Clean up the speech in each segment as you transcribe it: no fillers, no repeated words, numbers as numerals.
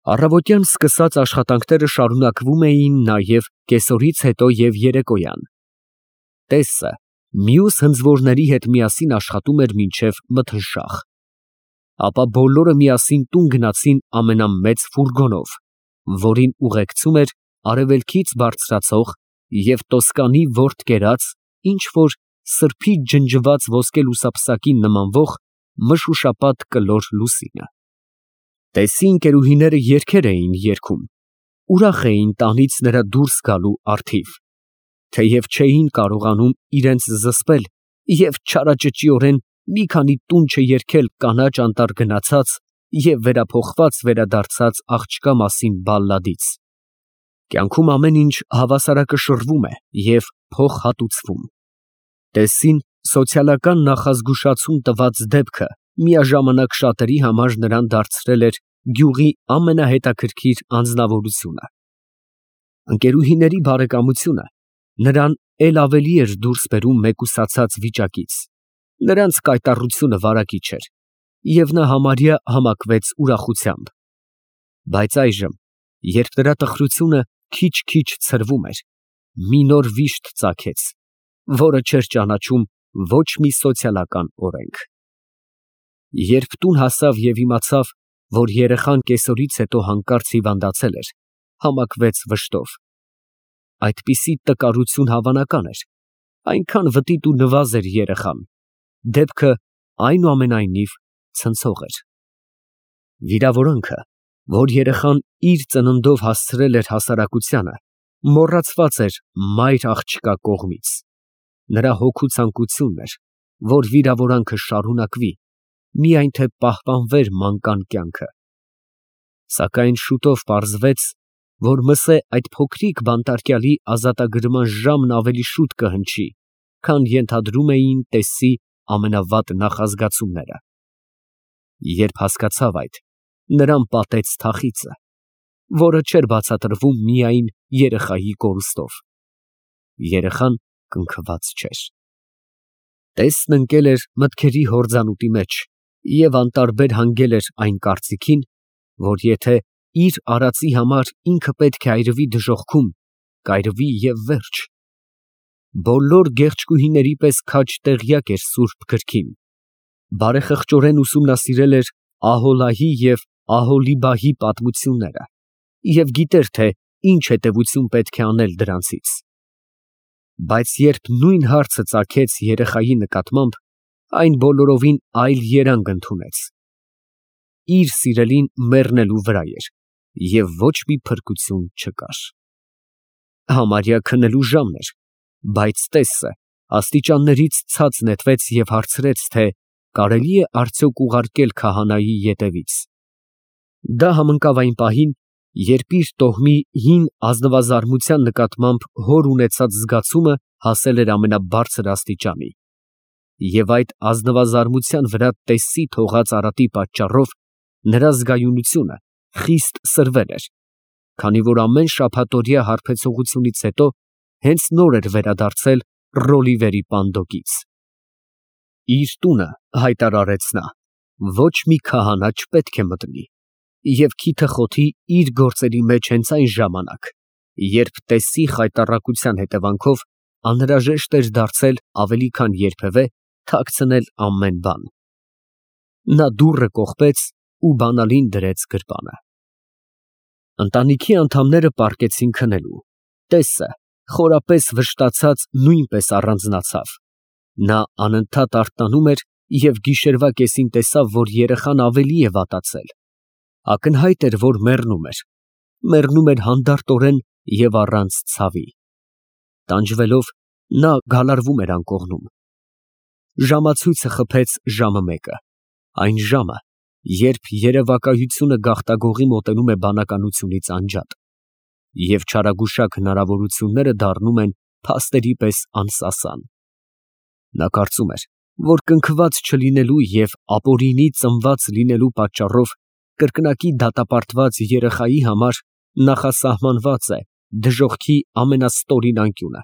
Առավոտյան սկսած աշխատանքները շարունակվում էին նաև կեսօրից հետո և երեկոյան։ Տեսը մյուս հնձվորների հետ միասին աշխատում էր մինչև մթնշաղ։ Ապա բոլորը միասին տուն գնացին ամենամեծ ֆուրգոնով, որին ուղեկցում էր արևելքից բարձրացող և Տոսկանի որդ կերած ինչ֊որ սրբից ջնջված ոսկե լուսապսակին նմանվող մշուշապատ կլոր լուսինը։ Տեսի ընկերուհիները երգեր էին երգում, ուրախ էին տանից նրա դուրս գալու առթիվ, թեև չէին կարողանում իրենց զսպել և չարաճճիորեն մի քանի տուն չերգել կանաչ անտառ գնացած և վերափոխված վերադարձած աղջկա մասին բալլադից։ Կյանքում ամեն ինչ հավասարակշռվում է և փոխհատուցվում։ Տեսսին սոցիալական նախազգուշացում տված դեպքը միաժամանակ շատերի համար նրան դարձրել էր գյուղի ամենահետաքրքիր անձնավորությունը։ Ընկերուհիների բարեկամությունը նրան էլ ավելի էր դուրս բերում մեկուսացած վիճակից, նրանց կայտառությունը վարակիչ էր, և նա համարյա համակվեց ուրախությամբ։ Բայց այժմ, երբ նրա տխրությունը քիչ֊քիչ ցրվում էր, մի նոր վիշտ ծագեց, որը չէր ճանաչում ոչ մի սոցիալական օրենք։ Երբ տուն հասավ և իմացավ, որ երեխան կեսօրից հետո հանկարծ հիվանդացել էր, համակվեց վշտով։ Այդպիսի տկարություն հավանական էր, այնքան վտիտ ու նվազ էր երեխան, դեպքը այնուամենայնիվ ցնցող էր։ Վիրավորանքը, որ երեխան իր ծննդով հասցրել էր հասարակությանը, մոռացված էր մայր աղջկա կողմից։ Նրա հոգու ցանկությունն էր, որ վիրավորանքը շարունակվի, միայն թե պահպանվեր մանկան կյանքը։ Սակայն շուտով պարզվեց, որ մսե այդ փոքրիկ բանտարկյալի ազատագրման ժամն ավելի շուտ կհնչի, քան ենթադրում էին Տեսսի ամենավատ նախազգացումները։ Երբ հասկացավ այդ, նրան պատեց թախիծը, որը չէր բացատրվում միայն երեխայի կորուստով։ Երեխան կնքված չէր։ Տեսն ընկել էր մտքերի հորձանուտի մեջ և անտարբեր հանգել էր այն կարծիքին, որ եթե իր արածի համար ինքը պետք է այրվի դժոխքում, կայրվի և վերջ։ Բոլոր գեղեցկուհիների պես քաջ տեղյակ էր սուրբ գրքին, բարեխղճորեն ուսումնասիրել էր Ահոլայի և Ահոլիբահի պատմությունները և գիտեր, թե ինչ հետևություն պետք է անել դրանցից։ Բայց երբ նույն հարցը ծագեց երեխայի նկատմամբ, այն բոլորովին այլ երանգ ընդունեց։ Իր սիրելին մեռնելու վրա էր, և ոչ մի փրկություն չկար։ Համարյա քնելու ժամն էր, բայց Տեսսը աստիճաններից ցած նետվեց և հարցրեց, թե կարելի է արդյոք ուղարկել քահանայի ետևից։ Դա համընկավ այն պահին, երբ իր տոհմի հին ազնվազարմության նկատմամբ հոր ունեցած զգացումը հասել էր ամենաբարձր աստիճանի, և այդ ազնվազարմության վրա Տեսսի թողած արատի պատճառով նրա զգայունությունը խիստ սրվել էր, քանի որ ամեն շաբաթօրյա հարբեցողությունից հետո հենց նոր էր վերադարձել Ռոլիվերի պանդոկից։ Իր տունը, հայտարարեց նա, ոչ մի քահանա չպետք է մտնի և քիթը խոթի իր գործերի մեջ հենց այն ժամանակ, երբ Տեսսի խայտառակության հետևանքով անհրաժեշտ էր դարձել ավելի քան երբևէ թաքցնել ամեն բան։ Նա դուռը կողպեց ու բանալին դրեց գրպանը։ Ընտանիքի անդամները պառկեցին քնելու։ Տեսսը, խորապես վշտացած, նույնպես առանձնացավ։ Նա անընդհատ արթնանում էր և գիշերվա կեսին տեսավ, որ երեխան ավելի է վատացել։ Ակնհայտ էր, որ մեռնում էր հանդարտորեն և առանց ցավի։ Տանջվելով, նա գալարվում էր անկողնում։ Ժամացույցը խփեց ժամը 1, այն ժամը, երբ երևակայությունը գաղտագողի մոտենում է բանականությունից անջատ, և չարագուշակ հնարավորությունները դառնում են փաստերի պես անսասան։ Նա կարծում էր, որ կնքված չլինելու և ապօրինի ծնված լինելու պատճառով կրկնակի դատապարտված երեխայի համար նախասահմանված է դժոխքի ամենաստորին անկյունը։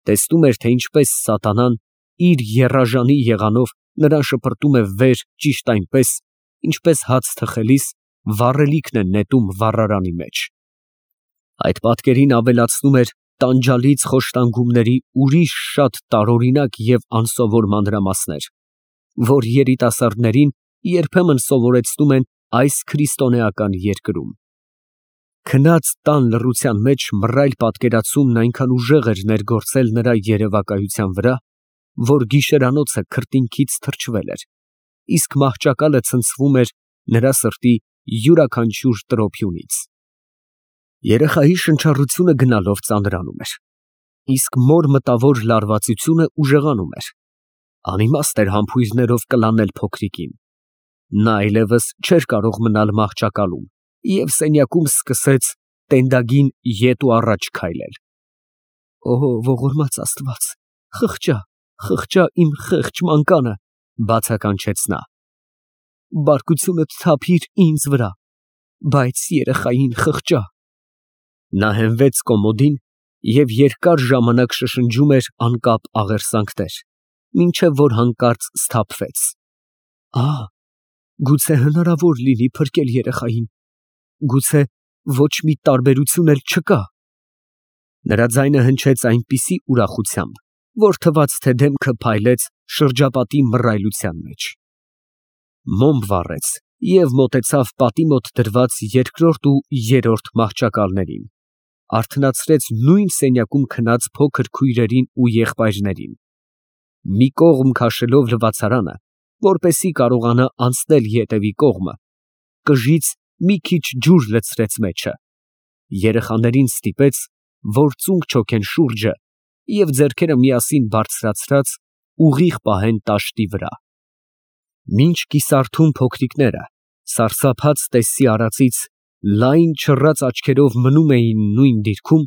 Տեսնում էր, թե ինչպես սատանան իր եռաժանի եղանով նրան շպրտում է վեր ճիշտ այնպես, ինչպես հաց թխելիս վառելիքն է նետում վառարանի մեջ։ Այդ պատկերին ավելացնում էր տանջալից խոշտանգումների ուրիշ շատ տարօրինակ և անսովոր մանրամասներ, որ երիտասարդներին երբեմն սովորեցնում են այս քրիստոնեական երկրում։ Քնած տան լռության մեջ մռայլ պատկերացումն այնքան ուժեղ էր ներգործել նրա երևակայության վրա, որ գիշերանոցը քրտինքից թրջվել էր, իսկ մահճակալը ցնցվում էր նրա սրտի յուրաքանչյուր տրոփյունից։ Երեխայի շնչառությունը գնալով ծանրանում էր, իսկ մոր մտավոր լարվածությունը ուժեղանում էր։ Անիմաստ էր համբույրներով կլանել փոքրիկին։ Նա այլևս չէր կարող մնալ մահճակալում և սենյակում սկսեց տենդագին ետ ու առաջ քայլել։ «Օ, ողորմած Աստված, խղճա, խղճա իմ խեղճ մանկանը», բացականչեց նա։ «Բարկությունդ թափիր ինձ վրա, բայց երեխային խղճա»։ Նա հենվեց կոմոդին և երկար ժամանակ շշնջում էր անկապ աղերսանքներ, մինչև որ հանկարծ սթափվեց։ Գուցե հնարավոր լինի փրկել երեխային, գուցե ոչ մի տարբերություն էլ չկա։ Նրա ձայնը հնչեց այնպիսի ուրախությամբ, որ թվաց, թե դեմքը փայլեց շրջապատի մռայլության մեջ։ Մոմ վառեց և մոտեցավ պատի մոտ դրված երկրորդ ու երրորդ մահճակալներին, արթնացրեց նույն սենյակում քնած փոքր քույրերին ու եղբայրներին։ Մի կողմ քաշելով լվացարանը, որպեսզի կարողանա անցնել ետևի կողմը, կժից մի քիչ ջուր լցրեց մեջը, երեխաներին ստիպեց, որ ծունկ չոքեն շուրջը և ձեռքերը միասին բարձրացրած ուղիղ պահեն տաշտի վրա։ Մինչ կիսարթուն փոքրիկները, սարսափած տեսցի արածից, լայն չռած աչքերով մնում էին նույն դիրքում,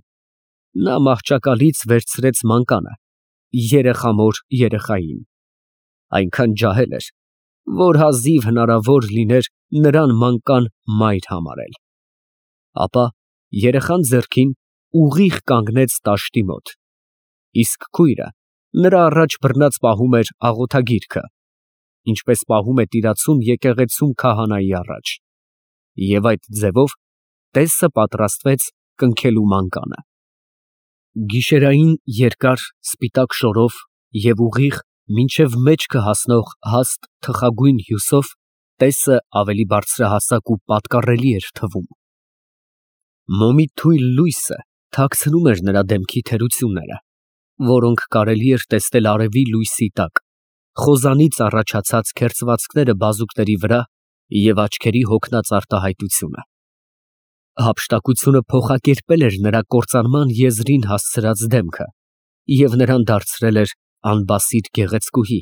նա մահճակալից վերցրեց մանկանը, երեխամոր երեխային, այնքան ջահել էր, որ հազիվ հնարավոր լիներ նրան մանկան մայր համարել։ Ապա երեխան ձեռքին ուղիղ կանգնեց տաշտի մոտ, իսկ քույրը նրա առաջ բռնած պահում էր աղոթագիրքը, ինչպես պահում է տիրացում եկեղեցում քահանայի առաջ, և այդ ձևով տեսը պատրաստվեց կնքելու մանկանը։ Գիշերային երկար սպիտակ շորով և ուղիղ մինչև մեջքը հասնող հաստ թխագույն հյուսով տեսը ավելի բարձրահասակ ու պատկառելի էր թվում։ Մոմի թույլ լույսը թաքցնում էր նրա դեմքի թերությունները, որոնք կարելի էր տեսնել արևի լույսի տակ, խոզանից առաջացած քերծվածքները բազուկների վրա և աչքերի հոգնած արտահայտությունը։ Հափշտակությունը փոխակերպել էր նրա կործանման եզրին հասցրած դեմքը և նրան դարձրել էր անբասիր գեղեցկուհի,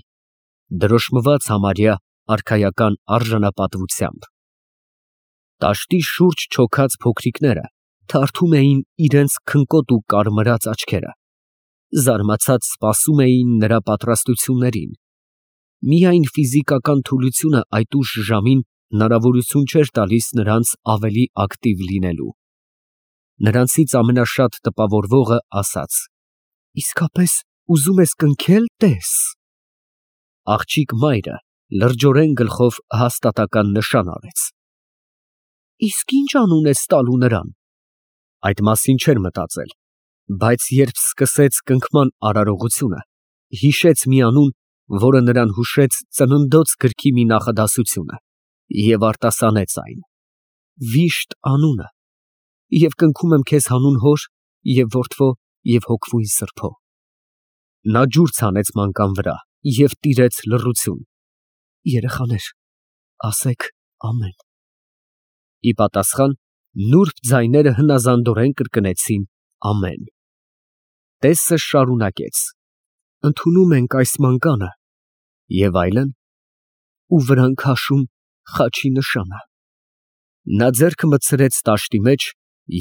դրոշմված համարյա արքայական արժանապատվությամբ։ Տաշտի շուրջ չոքած փոքրիկները թարթում էին իրենց քնկոտ ու կարմրած աչքերը, զարմացած սպասում էին նրա պատրաստություններին։ Միայն ֆիզիկական թուլությունը այդ ուշ ժամին հնարավորություն չէր տալիս նրանց ավելի ակտիվ լինելու։ Նրանցից ամենաշատ տպավորվողը ասաց. «Իսկապես ուզում ես կնքել, տես»։ Աղջիկ մայրը լրջորեն գլխով հաստատական նշան արեց։ Իսկ ի՞նչ անուն ես տալու նրան։ Այդ մասին չէր մտածել, բայց երբ սկսեց կնքման արարողությունը, հիշեց մի անուն, որը նրան հուշեց ծննդոց գրքի մի նախադասությունը, և արտասանեց այն. «Վիշտ անունը, և կնքում եմ քեզ հանուն հոր և որդվո և հոգվույն սրբո»։ Նա ջուր ցանեց մանկան վրա և տիրեց լռություն։ Երեխաներ, ասեք ամեն։ Ի պատասխան նուրբ ձայները հնազանդորեն կրկնեցին ամեն։ Տեսը շարունակեց. «Ընդունում ենք այս մանկանը» և այլն, ու վրան քաշում խաչի նշանը։ Նա ձեռքը մտցրեց տաշտի մեջ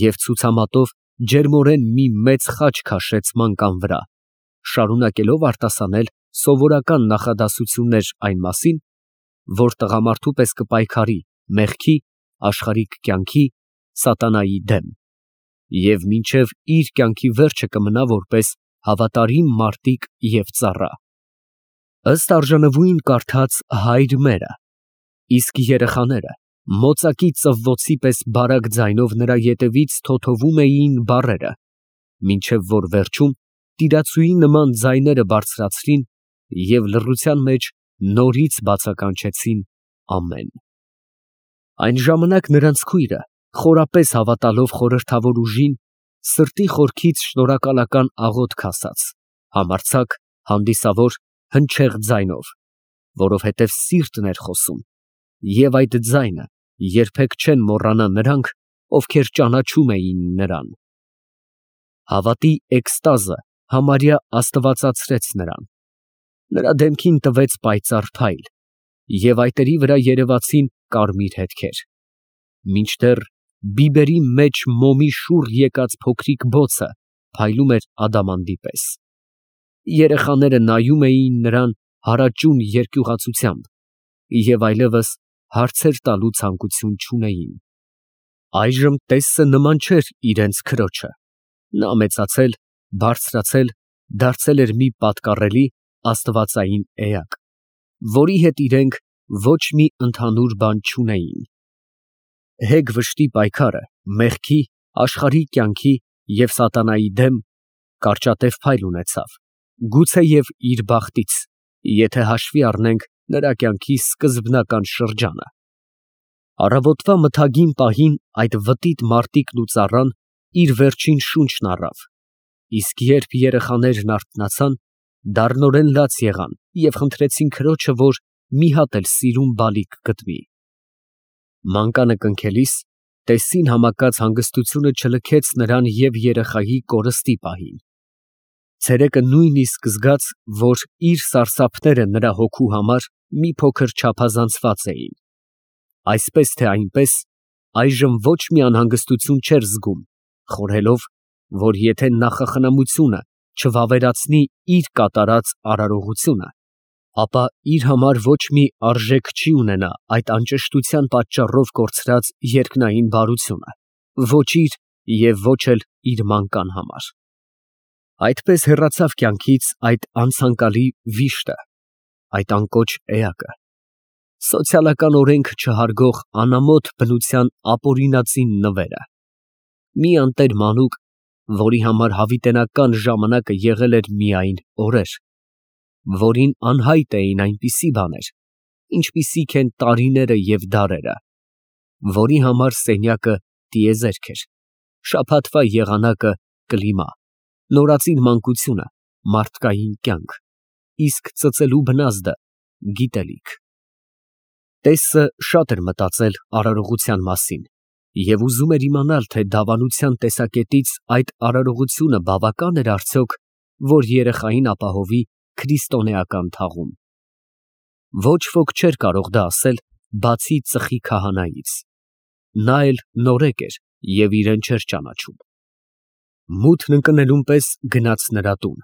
և ցուցամատով ջերմորեն մի մեծ խաչ քաշեց մանկան վրա, շարունակելով արտասանել սովորական նախադասություններ այն մասին, որ տղամարդու պես կպայքարի մեղքի, աշխարհիկ կյանքի, սատանայի դեմ և մինչև իր կյանքի վերջը կմնա որպես հավատարիմ մարտիկ և ծառա։ Ըստ արժանվույն կարդաց հայր մերը, իսկ երեխաները Մոծակի ծվոցի պես բարակ ձայնով նրա ետևից թոթովում էին բառերը, մինչև որ վերջում տիրացուի նման ձայները բարձրացրին և լռության մեջ նորից բացականչեցին ամեն։ Այն ժամանակ նրանց քույրը, խորապես հավատալով խորհրդավոր ուժին, սրտի խորքից շնորհակալական աղոթք ասաց, համարձակ, հանդիսավոր, հնչեղ ձայնով, որովհետև սիրտն էր խոսում, և այդ ձայնը երբեք չեն մոռանա նրանք, ովքեր ճանաչում էին նրան։ Հավատի էկստազը համարյա աստվածացրեց նրան, նրա դեմքին տվեց պայծառ փայլ, և այտերի վրա երևացին կարմիր հետքեր, մինչդեռ բիբերի մեջ մոմի շուռ եկած փոքրիկ բոցը փայլում էր ադամանդի պես։ Երեխաները նայում էին նրան հարաճուն երկյուղացությամբ և այլևս հարցեր տալու ցանկություն չունեին։ Այժմ Տեսսը նման չէր իրենց քրոջը, նա մեծացել, բարձրացել, դարձել էր մի պատկառելի աստվածային էակ, որի հետ իրենք ոչ մի ընդհանուր բան չունեին։ Հեգ վշտի պայքարը մեղքի, աշխարհի կյանքի և սատանայի դեմ կարճատև փայլ ունեցավ, գուցեև իր բախտից, եթե հաշվի առնենք նրա կյանքի սկզբնական շրջանը։ Առավոտվա մթագին պահին այդ վտիտ մարտիկն ու ծառան իր վերջին շունչն առավ, իսկ երբ երեխաներն արթնացան, դառնորեն լաց եղան և խնդրեցին քրոջը, որ մի հատ էլ սիրուն բալիկ գտվի։ Մանկանը կնքելիս Տեսսին համակած հանգստությունը չլքեց նրան և երեխայի կորստի պահին։ Ցերեկը նույնիսկ զգաց, որ իր սարսափները նրա հոգու համար մի փոքր չափազանցված էին։ Այսպես թե այնպես, այժմ ոչ մի անհանգստություն չէր զգում, խորհելով, որ եթե նախախնամությունը չվավերացնի իր կատարած արարողությունը, ապա իր համար ոչ մի արժեք չի ունենա այդ անճշտության պատճառով կորցրած երկնային բարությունը, ոչ իր և ոչ էլ իր մանկան համար։ Այդպես հեռացավ կյանքից այդ անցանկալի վիշտը, այդ անկոչ էակը, սոցիալական օրենք չհարգող անամոթ բնության ապօրինածին նվերը, մի անտեր մանուկ, որի համար հավիտենական ժամանակը եղել էր միայն օրեր, որին անհայտ էին այնպիսի բաներ, ինչպիսիք են տարիները և դարերը, որի համար սենյակը տիեզերք էր, շաբաթվա եղանակը կլիմա, նորածին մանկությունը մարդկային կյանք, իսկ ծծելու բնազդը գիտելիք։ Տեսսը շատ էր մտածել արարողության մասին և ուզում էր իմանալ, թե դավանության տեսակետից այդ արարողությունը բավական էր արդյոք, որ երեխային ապահովի քրիստոնեական թաղում։ Ոչ ոք չէր կարող դա ասել, բացի ծխի քահանայից։ Նա էլ նորեկ էր և իրեն չէր ճանաչում։ Մութն ընկնելուն պես գնաց նրա տուն,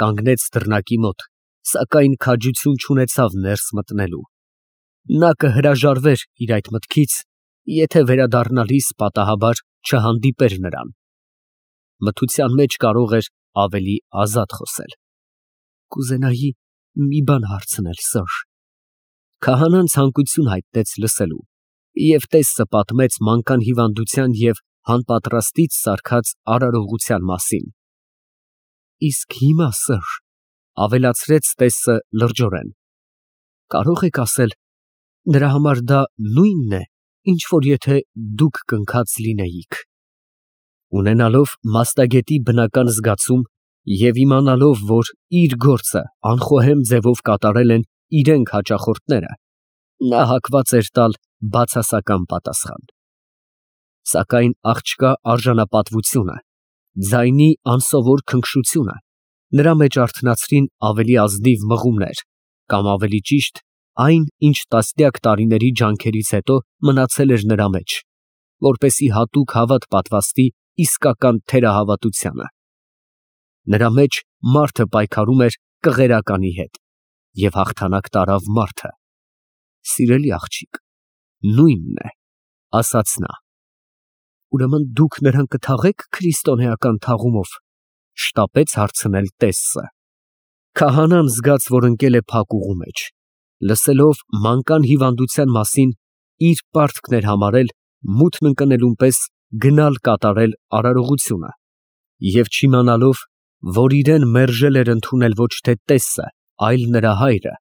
կանգնեց դռնակի մոտ, սակայն քաջություն չունեցավ ներս մտնելու։ Նա կհրաժարվեր իր այդ մտքից, եթե վերադառնալիս պատահաբար չհանդիպեր նրան։ Մթության մեջ կարող էր ավելի ազատ խոսել։ Կուզենայի մի բան հարցնել, Սըր։ Քահանան ցանկություն հայտնեց լսելու, և Տեսսը պատմեց մանկան հիվանդության և հանպատրաստից սարքած արարողության մասին։ Իսկ հիմա, Սըր, ավելացրեց Տեսսը լրջորեն, կարող եք ասել, նրա համար դա նույնն է, ինչ որ եթե դուք կնքած լինեիք։ Ունենալով մաստագետի բնական զգացում և իմանալով, որ իր գործը անխոհեմ ձևով կատարել են իրենք հաճախորդները, նա հակված էր տալ բացասական պատասխան։ Սակայն աղջկա արժանապատվությունը, ձայնի անսովոր քնքշությունը նրա մեջ արթնացրին ավելի ազնիվ մղումներ, կամ ավելի ճիշտ, այն, ինչ տասնյակ տարիների ջանքերից հետո մնացել էր նրա մեջ, որպեսզի հատուկ հավատ պատվաստի իսկական թերահավատությանը։ Նրա մեջ մարդը պայքարում էր կղերականի հետ, և հաղթանակ տարավ մարդը։ Սիրելի աղջիկ, նույնն է, ասաց նա։ Ուրեմն դուք նրան կթաղեք քրիստոնեական թաղումով, շտապեց հարցնել Տեսսը։ Քահանան զգաց, որ ընկել է փակ ուղու մեջ, լսելով մանկան հիվանդության մասին իր պարտքն էր համարել մութն ընկնելուն պես գնալ կատարել արարողությունը, և չիմանալով, որ իրեն մերժել էր ընդունել ոչ թե տեսը, այլ նրա հայրը,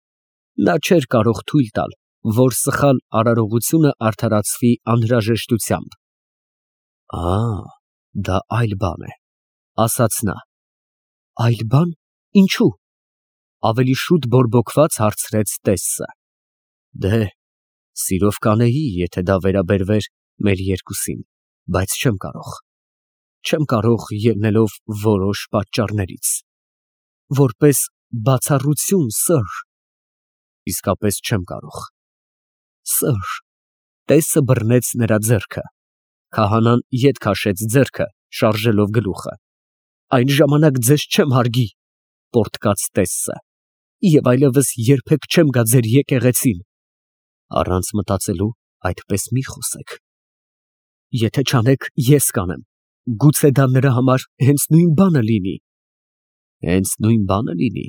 նա չէր կարող թույլ տալ, որ սխալ արարողությունը արդարացվի անհրաժեշտությամբ։ Դա այլ բան է, ասաց նա։ Այլ բան, ինչու՞։ Ավելի շուտ բորբոքված հարցրեց տեսը։ Դե, սիրով կանեի, եթե դա վերաբերվեր մեր երկուսին, բայց չեմ կարող ելնելով որոշ պատճառներից։ Որպես բացառություն, սըր։ Իսկապես չեմ կարող։ Սըր։ Տեսը բռնեց նրա ձեռքը։ Քահանան ետ քաշեց ձեռքը, շարժելով գլուխը։ Այն ժամանակ ձեզ չեմ հարգի, պոռթկաց տեսը, և այլևս երբեք չեմ գա ձեր եկեղեցին։ Առանց մտածելու այդպես մի խոսեք։ Եթե չանեք, ես կանեմ, գուցե դա նրա համար հենց նույն բանը լինի։ Հենց նույն բանը լինի,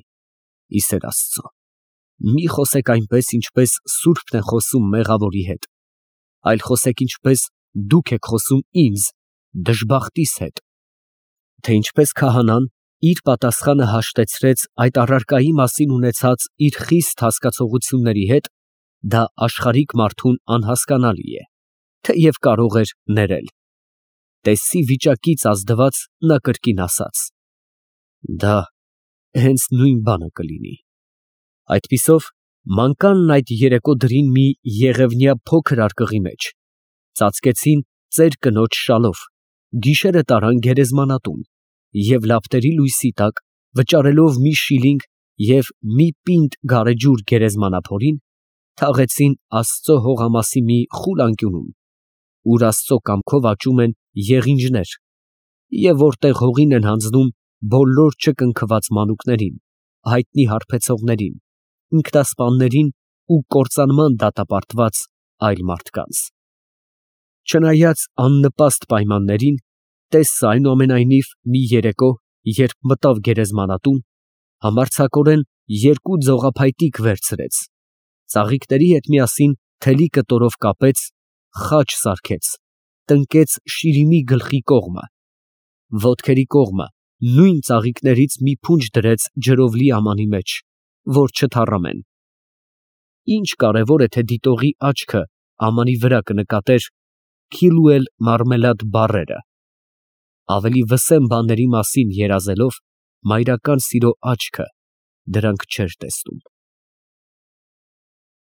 ի սեր Աստծո։ Մի խոսեք այնպես, ինչպես սուրբն է խոսում մեղավորի հետ, այլ խոսեք ինչպես դուք եք խոսում ինձ, դժբախտիս հետ։ Թե ինչպես քահանան իր պատասխանը հաշտեցրեց այդ առարկայի մասին ունեցած իր խիստ հասկացողությունների հետ, դա աշխարհիկ մարդուն անհասկանալի է, թեև կարող էր ներել։ Տեսի վիճակից ազդված նա կրկին ասաց. Դա հենց նույն բանը կլինի։ Այդպիսով մանկանն այդ երեկո դրին մի եղևնյա փոքր արկղի մեջ, ծածկեցին ծեր կնոջ շալով, գիշերը տարան գերեզմանատուն և լապտերի լույսի տակ, վճարելով մի շիլինգ և մի պինդ գարեջուր գերեզմանափորին, թաղեցին Աստծո հողամասի մի խուլ անկյունում, ուր Աստծո կամքով աճում են եղինջներ, և որտեղ հողին են հանձնում բոլոր չկնքված մանուկներին, հայտնի հարբեցողներին, ինքնասպաններին ու կործանման դատապարտված այլ մարդկանց։ Չնայած աննպաստ պայմաններին, տեսը այնուամենայնիվ մի երեկո, երբ մտավ գերեզմանատուն, համարձակորեն երկու ձողափայտիկ վերցրեց, ծաղիկների հետ միասին թելի կտորով կապեց, խաչ սարքեց, տնկեց շիրիմի գլխի կողմը, ոտքերի կողմը նույն ծաղիկներից մի փունջ դրեց ջրով լի ամանի մեջ, որ չթառամեն։ Ինչ կարևոր է, թե դիտողի աչքը ամանի վրա կնկատեր քիլուել մարմելադ բառերը։ Ավելի վսեմ բաների մասին երազելով, մայրական սիրո աչքը դրանք չէր տեսնում։